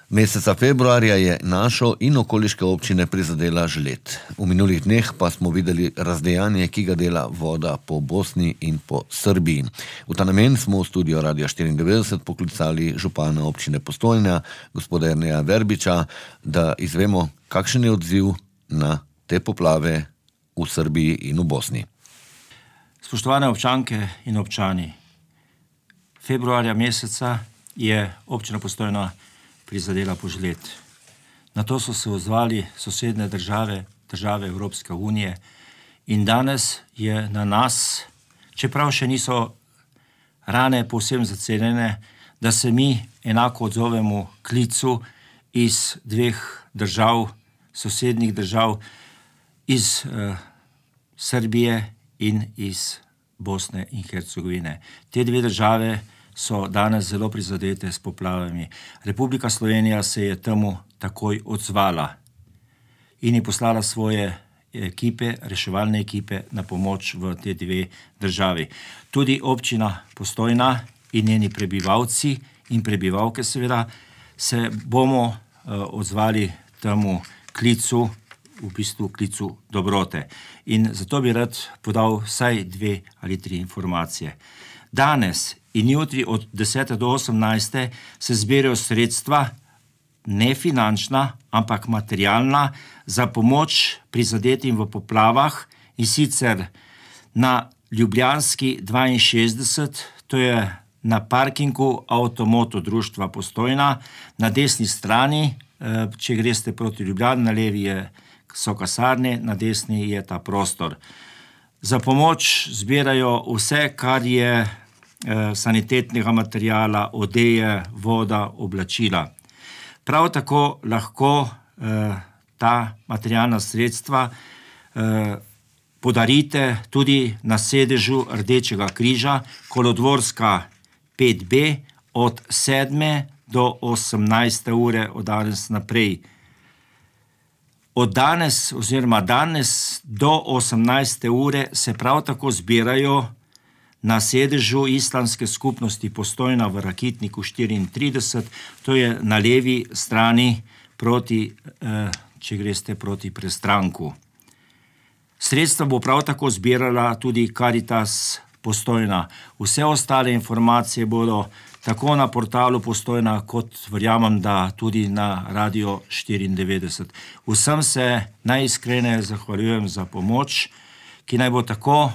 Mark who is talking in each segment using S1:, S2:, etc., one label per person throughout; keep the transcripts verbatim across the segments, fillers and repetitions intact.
S1: Meseca februarja je našo in okoliške občine prizadela žled. V minulih dneh pa smo videli razdejanje, ki ga dela voda po Bosni in po Srbiji. V ta namen smo v studio Radia štiriindevetdeset poklicali župana občine Postojna, gospoda Jerneja Verbiča, da izvemo, kakšen je odziv na te poplave v Srbiji in v Bosni.
S2: Spoštovane občanke in občani, februarja meseca je občina Postojna prizadela požled. Na to so se odzvali sosednje države, države Evropske unije in danes je na nas, čeprav še niso rane povsem zaceljene, da se mi enako odzovemo klicu iz dveh držav, sosednjih držav, iz uh, Srbije in iz Bosne in Hercegovine. Te dve države so danes zelo prizadete s poplavami. Republika Slovenija se je temu takoj odzvala in je poslala svoje ekipe, reševalne ekipe na pomoč v te dve državi. Tudi občina Postojna in njeni prebivalci in prebivalke seveda se bomo uh, odzvali temu klicu, v bistvu klicu dobrote. In zato bi rad podal vsaj dve ali tri informacije. Danes in jutri od desete do osemnajste se zbirajo sredstva, ne finančna, ampak materialna, za pomoč prizadetim v poplavah, in sicer na Ljubljanski dvainšestdeset, to je na parkingu Avtomoto društva Postojna, na desni strani, če greste proti Ljubljani, na levi je, so kasarne, na desni je ta prostor. Za pomoč zbirajo vse, kar je sanitetnega materijala, odeje, voda, oblačila. Prav tako lahko eh, ta materialna sredstva eh, podarite tudi na sedežu Rdečega križa, Kolodvorska pet B, od sedme do osemnajste ure od danes naprej. Od danes oziroma danes do osemnajste ure se prav tako zbirajo na sedežu Islamske skupnosti Postojna v Rakitniku štiriintrideset, to je na levi strani, proti, eh, če greste proti Prestranku. Sredstva bo prav tako zbirala tudi Karitas Postojna. Vse ostale informacije bodo tako na portalu Postojna, kot verjamem, da tudi na Radio štiriindevetdeset. Vsem se najiskreneje zahvaljujem za pomoč, ki naj bo tako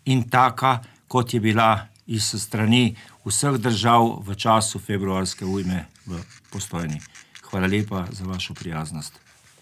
S2: in taka, kot je bila iz strani vseh držav v času februarske ujme v Postojni. Hvala lepa za vašo prijaznost.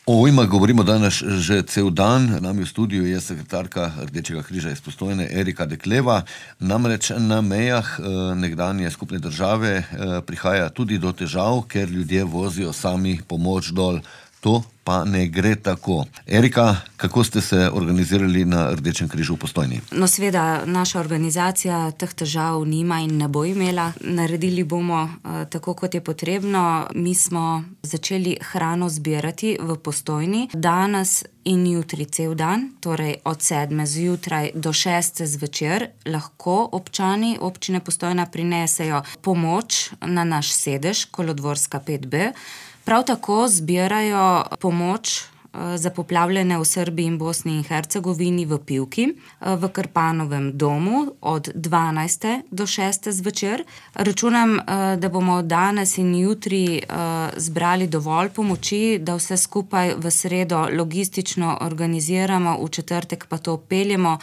S1: O ujmah govorimo danes že cel dan. Nami v studiu je sekretarka Rdečega križa iz Postojne, Erika Dekleva. Namreč na mejah nekdanje skupne države prihaja tudi do težav, ker ljudje vozijo sami pomoč dol. To pa ne gre tako. Erika, kako ste se organizirali na Rdečem križu v Postojni?
S3: No, seveda, naša organizacija teh težav nima in ne bo imela. Naredili bomo uh, tako, kot je potrebno. Mi smo začeli hrano zbirati v Postojni danes in jutri cel dan, torej od sedme zjutraj do šeste zvečer, lahko občani občine Postojna prinesejo pomoč na naš sedež, Kolodvorska pet B. Prav tako zbirajo pomoč za poplavljene v Srbiji in Bosni in Hercegovini v Pivki, v Krpanovem domu od dvanajste do šeste zvečer. Računam, da bomo danes in jutri zbrali dovolj pomoči, da vse skupaj v sredo logistično organiziramo, v četrtek pa to peljemo.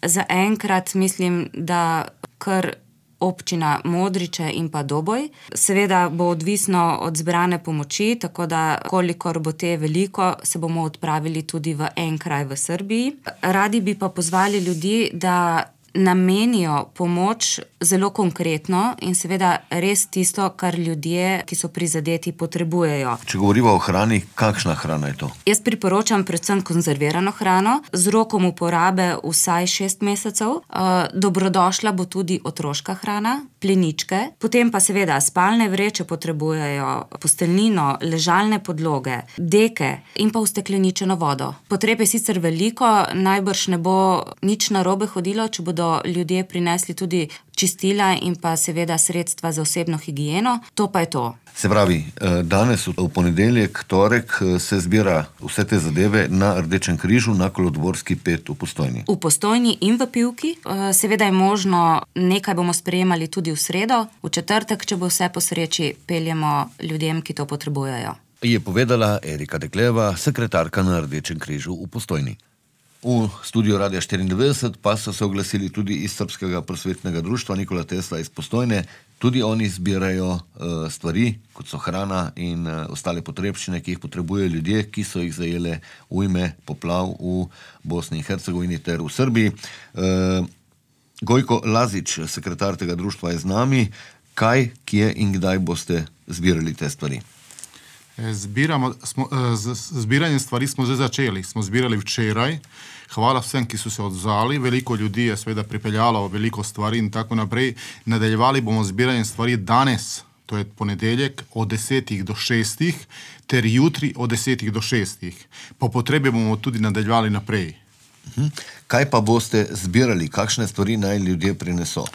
S3: Za enkrat mislim, da kar občina Modriče in pa Doboj. Seveda bo odvisno od zbrane pomoči, tako da kolikor bo te veliko, se bomo odpravili tudi v en kraj v Srbiji. Radi bi pa pozvali ljudi, da namenijo pomoč zelo konkretno in seveda res tisto, kar ljudje, ki so prizadeti, potrebujejo.
S1: Če govorimo o hrani, kakšna hrana je to?
S3: Jaz priporočam predvsem konzervirano hrano z rokom uporabe vsaj šest mesecev. Uh, dobrodošla bo tudi otroška hrana, pleničke, potem pa seveda spalne vreče potrebujejo, posteljnino, ležalne podloge, deke in pa ustekleničeno vodo. Potreb je sicer veliko, najbrž ne bo nič narobe hodilo, če bodo ljudje prinesli tudi čistila in pa seveda sredstva za osebno higieno. To pa je to.
S1: Se pravi, danes v ponedeljek, torek se zbira vse te zadeve na Rdečem križu na Kolodvorski pet v Postojni.
S3: V Postojni in v Pivki. Seveda je možno, nekaj bomo sprejemali tudi v sredo, v četrtek, če bo vse po sreči, peljemo ljudem, ki to potrebujejo.
S1: Je povedala Erika Dekleva, sekretarka na Rdečem križu v Postojni. V studiu Radia štiriindevetdeset pa so se oglasili tudi iz Srbskega prosvetnega društva Nikola Tesla iz Postojne. Tudi oni zbirajo uh, stvari, kot so hrana in uh, ostale potrebščine, ki jih potrebujejo ljudje, ki so jih zajele ujme poplav v Bosni in Hercegovini ter v Srbiji. Uh, Gojko Lazič, sekretar tega društva, je z nami. Kaj, kje in kdaj boste zbirali te stvari?
S4: Zbiramo, smo, z, z zbiranjem stvari smo zdaj začeli. Smo zbirali včeraj. Hvala vsem, ki so se odzvali. Veliko ljudi je seveda pripeljalo veliko stvari in tako naprej. Nadaljevali bomo zbiranjem stvari danes, to je ponedeljek, od desetih do šestih, ter jutri od desetih do šestih. Po potrebi bomo tudi nadaljevali naprej.
S1: Kaj pa boste zbirali? Kakšne stvari naj ljudje prineso?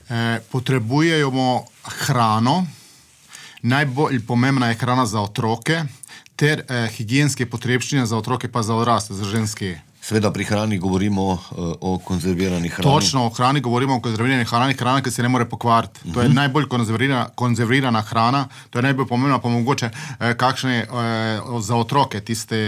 S4: E, potrebujemo hrano. Najbolj pomembna je hrana za otroke, ter eh, higijenske potrebščine za otroke pa za odrasle, za ženske.
S1: Seveda pri hrani govorimo uh, o konzervirani hrani.
S4: Točno, o hrani govorimo o konzervirani hrani, hrana, ki se ne more pokvariti. Uh-huh. To je najbolj konzervirana, konzervirana hrana, to je najbolj pomembna, pa mogoče eh, kakšne eh, za otroke, tiste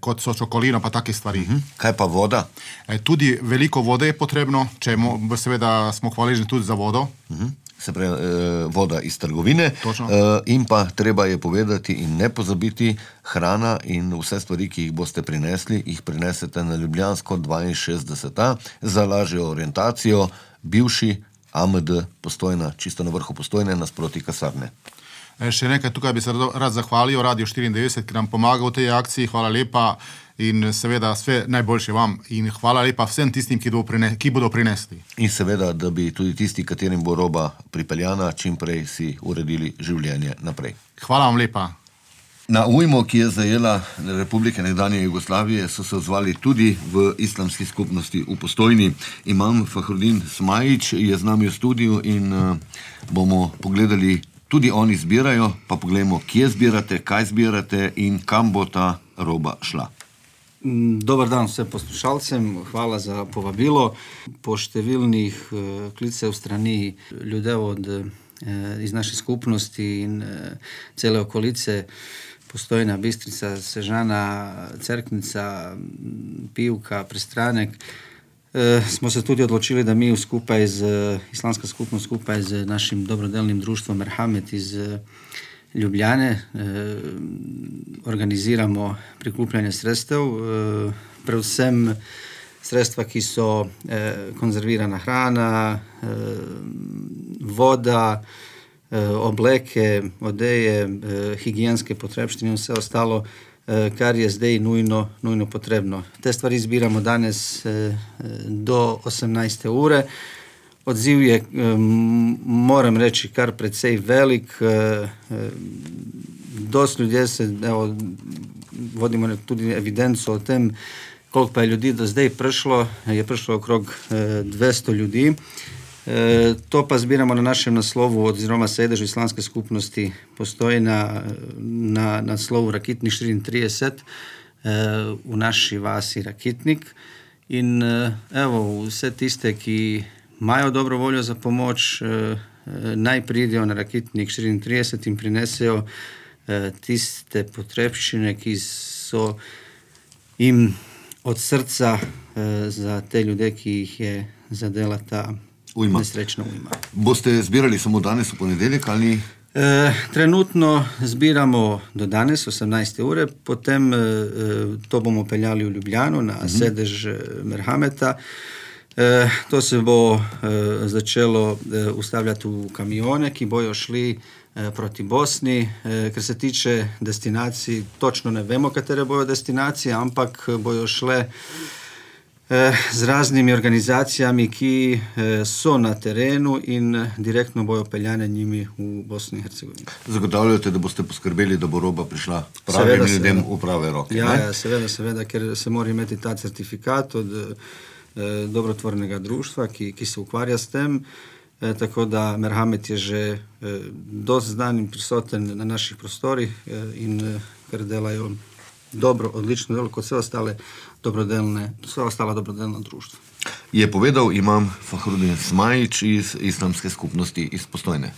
S4: kot so čokolino, pa take stvari.
S1: Uh-huh. Kaj pa voda?
S4: Eh, tudi veliko vode je potrebno, če mo, seveda smo hvaležni tudi za vodo.
S1: Uh-huh. Se pravi, eh, voda iz trgovine.
S4: Eh,
S1: in pa treba je povedati in ne pozabiti, hrana in vse stvari, ki jih boste prinesli, jih prinesete na Ljubljansko dvainšestdeset A za lažjo orientacijo, bivši A M D Postojna, čisto na vrhu Postojne, nasproti kasarne.
S4: Eh, še nekaj, tukaj bi se rad zahvalil Radio štiriindevetdeset, ki nam pomaga v tej akciji. Hvala lepa. In seveda vse najboljše vam in hvala lepa vsem tistim, ki, prine, ki bodo prinesli.
S1: In seveda, da bi tudi tisti, katerim bo roba pripeljana, čim prej si uredili življenje naprej.
S4: Hvala vam lepa.
S1: Na ujmo, ki je zajela Republike nekdanje Jugoslavije, so se odzvali tudi v islamski skupnosti v Postojni. Imam Fahrudin Smajić je z nami v studiu in uh, bomo pogledali, tudi oni zbirajo, pa pogledamo, kje zbirate, kaj zbirate in kam bo ta roba šla.
S5: Dobar dan vsem poslušalcem, hvala za povabilo. Po številnih uh, klicev strani ljudev od, uh, iz naše skupnosti in uh, cele okolice, Postojna, Bistrica, Sežana, Cerknica, Pivka, Prestranek, uh, smo se tudi odločili, da mi skupaj z uh, islamska skupnost, skupaj z našim dobrodelnim društvom Merhamet iz uh, Ljubljane eh, organiziramo prikupljanje sredstev, eh, predvsem sredstva, ki so eh, konzervirana hrana, eh, voda, eh, obleke, odeje, eh, higijenske potrebštine in vse ostalo, eh, kar je zdaj nujno, nujno potrebno. Te stvari zbiramo danes eh, do osemnajste ure. Odziv je, moram reči, kar precej velik. Dost ljudje se, evo, vodimo tudi evidenco o tem, koliko pa je ljudi do zdaj prišlo. Je prišlo okrog dvesto ljudi. To pa zbiramo na našem naslovu oziroma sedežu islamske skupnosti Postojna na naslovu Rakitnik štiriintrideset v naši vasi Rakitnik. In evo, vse tiste, ki imajo dobro voljo za pomoč, eh, naj pridejo na Rakitnik štiriintrideset in prinesejo eh, tiste potrebščine, ki so jim od srca eh, za te ljudi, ki jih je zadela ta ujma. Nesrečna ujma.
S1: Boste zbirali samo danes v ponedeljek ali?
S5: Eh, trenutno zbiramo do danes, osemnajste ure, potem eh, to bomo peljali v Ljubljano na uh-huh. sedež Merhameta. E, to se bo e, začelo e, ustavljati v kamione, ki bojo šli e, proti Bosni. E, ker se tiče destinacij, točno ne vemo, katere bojo destinacije, ampak bojo šle e, z raznimi organizacijami, ki e, so na terenu in direktno bojo peljane njimi v Bosni in Hercegovini.
S1: Zagotavljate, da boste poskrbeli, da bo roba prišla pravim ljudem v prave roke?
S5: Ja, ja, seveda, seveda, ker se mora imeti ta certifikat od dobrotvornega društva, ki, ki se ukvarja s tem. E, tako da Merhamet je že e, dosti znan in prisoten na naših prostorih e, in e, ker delajo dobro, odlično delo, kot vse ostale dobrodelne, vse ostala dobrodelna društva.
S1: Je povedal imam Fahrudin Smajić iz islamske skupnosti iz Postojne.